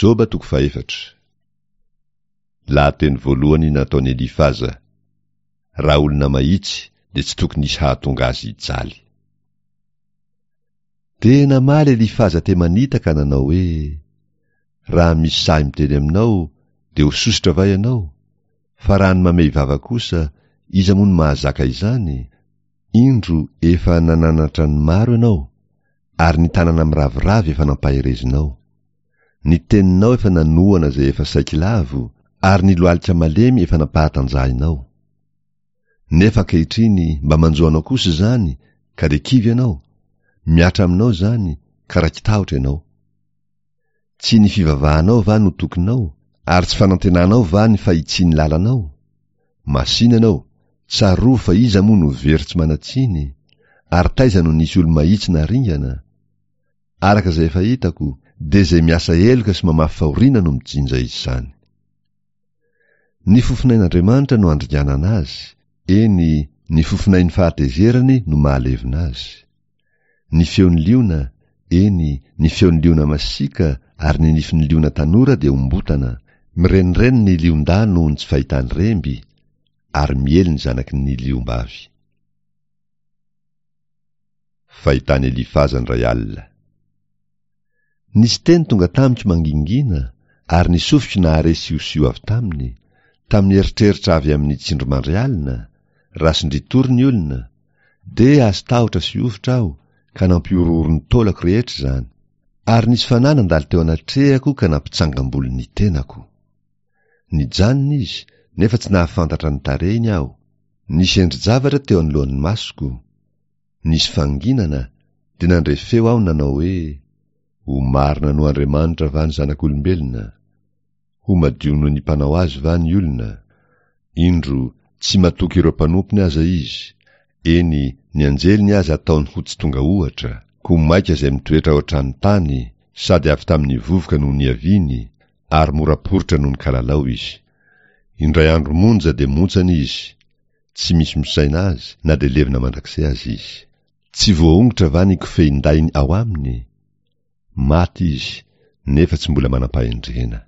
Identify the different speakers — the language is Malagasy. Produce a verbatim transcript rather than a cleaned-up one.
Speaker 1: Joba toko fahefatra. Lahateny voalohany nataon'i Elifaza. Raha olona mahitsy dia tsy tokony hisy hahatonga azy hijaly. Dia namaly Elifaza Temanita ka nanao hoe, Raha misy sahy miteny aminao, dia ho sosotra va ianao? Fa raha ny mamehy vava kosa, iza moa no mahazaka izany? Indro efa nananatra ny maro ianao, ary ny tanana miraviravy efa nampaherezinao. Ny teninao efa nanohana izay efa saiky lavo, ary ny lohalika malemy efa nampahatanjahinao. Nefa ankehitriny mba manjo anao kosa izany, ka dia kivy ianao, mihatra aminao izany, ka raiki-tahotra ianao. Tsy ny fivavahanao va no tokinao, ary tsy fanantenanao va ny fahitsian'ny lalanao? Masìna ianao, tsarovy fa iza moa no very tsy manan-tsiny, ary taiza no nisy olo-mahitsy naringana? Araka izay efa hitako, dia izay miasa heloka sy mamafy fahoriana no mijinja izany. Ny fofonain'Andriamanitra no andringanana azy, eny, ny fofonain'ny fahatezerany no mahalevona azy. Ny feon'ny liona, eny, ny feon'ny liona masiaka ary ny nifin'ny liona tanora dia ombotana, mirenireny ny lion-dahy noho ny tsy fahitany remby, ary miely ny zanaky ny liom-bavy. Fahitan'i Elifaza indray alina. Nisy teny tonga tamiko mangingina, ary ny sofiko nahare siosio avy taminy, tamin'ny eritreritra avy amin'ny tsindrimandry alina, raha sondrian-tory ny olona, dia azo tahotra sy hovitra aho, ka nampihorohoro ny taolako rehetra izany. Ary nisy fanahy nandalo teo anatrehako ka nampitsangam-bolo ny tenako. Nijanona izy, nefa tsy nahafantatra ny tarehiny aho. Nisy endri-javatra teo anoloan'ny masoko. Nisy fanginana, dia nandre feo aho nanao hoe, Ho marina noho Andriamanitra va ny zanak'olombelona? Ho madio noho ny mpanao azy va ny olona? Indro, tsy matoky ireo mpanompony aza izy, eny, ny anjeliny aza ataony ho tsy tonga ohatra, koa mainka izay mitoetra ao an-trano tany, sady avy tamin'ny vovoka no niaviany, ary mora poritra noho ny kalalao izy. Indray andro monja dia montsana izy, tsy misy misaina azy na dia levona mandrakizay aza izy. Tsy voaongotra va ny kofehin-dahiny ao aminy? Maty izy, nefa tsy mbola manam-pahendrena.